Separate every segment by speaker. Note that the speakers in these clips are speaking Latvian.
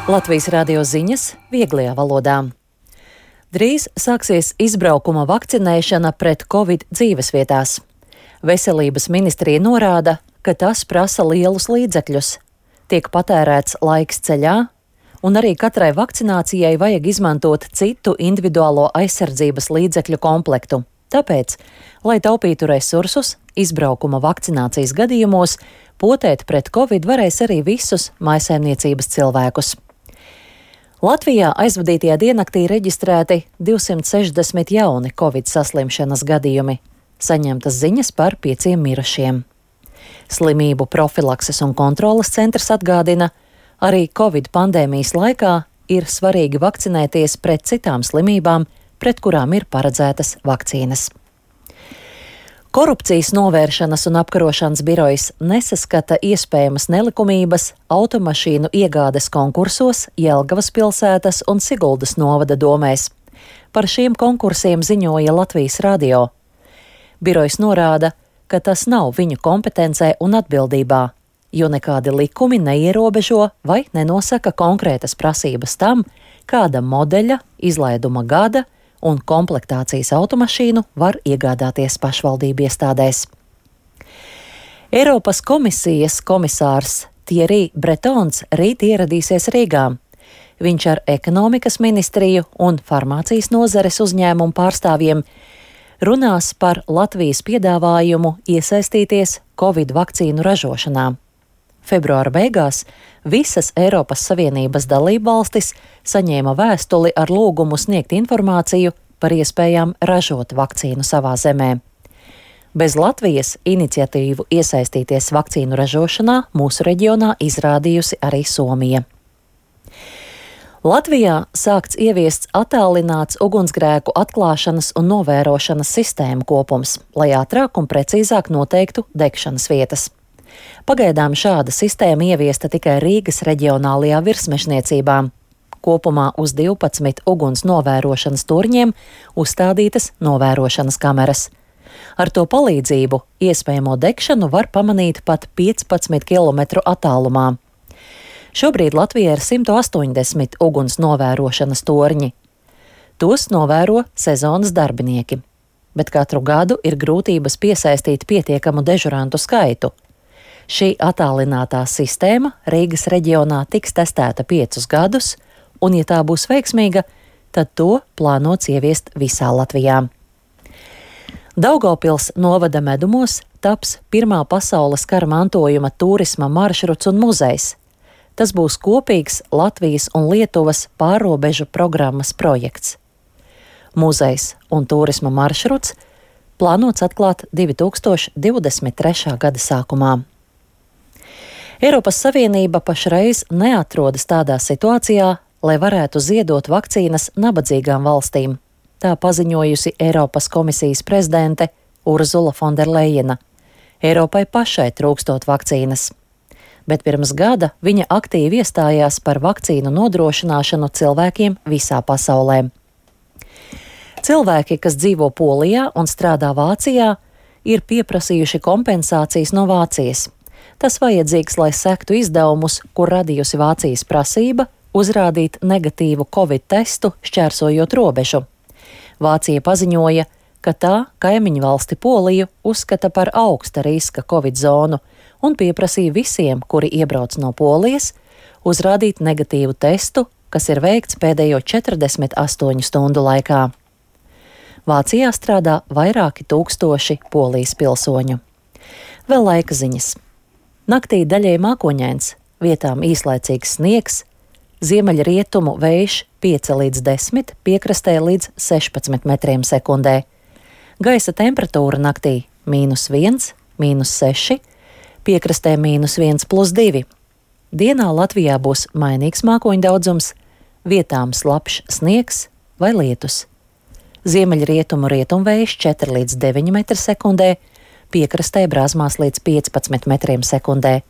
Speaker 1: Latvijas radio ziņas vieglajā valodā. Drīz sāksies izbraukuma vakcinēšana pret Covid dzīvesvietās. Veselības ministrija norāda, ka tas prasa lielus līdzekļus. Tiek patērēts laiks ceļā, un arī katrai vakcinācijai vajag izmantot citu individuālo aizsardzības līdzekļu komplektu. Tāpēc, lai taupītu resursus, izbraukuma vakcinācijas gadījumos potēt pret Covid varēs arī visus mājsaimniecības cilvēkus. Latvijā aizvadītajā diennaktī reģistrēti 260 jauni Covid saslimšanas gadījumi. Saņemtas ziņas par 5 mirušiem. Slimību profilakses un kontroles centrs atgādina, arī Covid pandēmijas laikā ir svarīgi vakcinēties pret citām slimībām, pret kurām ir paredzētas vakcīnas. Korupcijas novēršanas un apkarošanas birojas nesaskata iespējamas nelikumības automašīnu iegādes konkursos Jelgavas pilsētas un Siguldas novada domēs. Par šiem konkursiem ziņoja Latvijas radio. Birojas norāda, ka tas nav viņu kompetencē un atbildībā, jo nekādi likumi neierobežo vai nenosaka konkrētas prasības tam, kāda modeļa, izlaiduma gada un komplektācijas automašīnu var iegādāties pašvaldību iestādēs. Eiropas komisijas komisārs Thierry Bretons rīt ieradīsies Rīgā. Viņš ar ekonomikas ministriju un farmācijas nozares uzņēmumu pārstāvjiem runās par Latvijas piedāvājumu iesaistīties Covid vakcīnu ražošanā. Februāra beigās visas Eiropas Savienības dalībvalstis saņēma vēstuli ar lūgumu sniegt informāciju par iespējām ražot vakcīnu savā zemē. Bez Latvijas iniciatīvu iesaistīties vakcīnu ražošanā mūsu reģionā izrādījusi arī Somija. Latvijā sākts ieviests attālināts ugunsgrēku atklāšanas un novērošanas sistēmu kopums, lai ātrāk un precīzāk noteiktu degšanas vietas. Pagaidām šāda sistēma ieviesta tikai Rīgas reģionālajā virsmežniecībā. Kopumā uz 12 uguns novērošanas turņiem uzstādītas novērošanas kameras. Ar to palīdzību iespējamo degšanu var pamanīt pat 15 km attālumā. Šobrīd Latvijā ir 180 uguns novērošanas torņi. Tos novēro sezonas darbinieki, bet katru gadu ir grūtības piesaistīt pietiekamu dežurantu skaitu. Šī attālinātā sistēma Rīgas reģionā tiks testēta 5 gadus, un, ja tā būs veiksmīga, tad to plānots ieviest visā Latvijā. Daugavpils novada medumos taps pirmā pasaules kara mantojuma turisma maršruts un muzejs. Tas būs kopīgs Latvijas un Lietuvas pārrobežu programmas projekts. Muzejs un turisma maršruts plānots atklāt 2023. gada sākumā. Eiropas Savienība pašreiz neatrodas tādā situācijā, lai varētu ziedot vakcīnas nabadzīgām valstīm. Tā paziņojusi Eiropas komisijas prezidente Urzula Fonderlejena. Eiropai pašai trūkstot vakcīnas. Bet pirms gada viņa aktīvi iestājās par vakcīnu nodrošināšanu cilvēkiem visā pasaulē. Cilvēki, kas dzīvo Polijā un strādā Vācijā, ir pieprasījuši kompensācijas no Vācijas. Tas vajadzīgs, lai sektu izdevumus, kur radījusi Vācijas prasība uzrādīt negatīvu Covid testu, šķērsojot robežu. Vācija paziņoja, ka tā kaimiņu valsti Poliju uzskata par augsta riska Covid zonu un pieprasīja visiem, kuri iebrauc no Polijas, uzrādīt negatīvu testu, kas ir veikts pēdējo 48 stundu laikā. Vācijā strādā vairāki tūkstoši Polijas pilsoņu. Vēl laika ziņas. Naktī daļēji mākoņains, vietām īslaicīgs sniegs, ziemeļrietumu vējš 5 līdz 10, piekrastē līdz 16 metriem sekundē. Gaisa temperatūra naktī -1, -6, piekrastē -1+2. Dienā Latvijā būs mainīgs mākoņu daudzums, vietām slapjš sniegs vai lietus. Ziemeļrietumu rietumvējš 4 līdz 9 metri sekundē, piekrastē brāzmās līdz 15 metriem sekundē.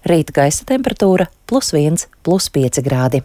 Speaker 1: Rīt gaisa temperatūra +1, +5 grādi.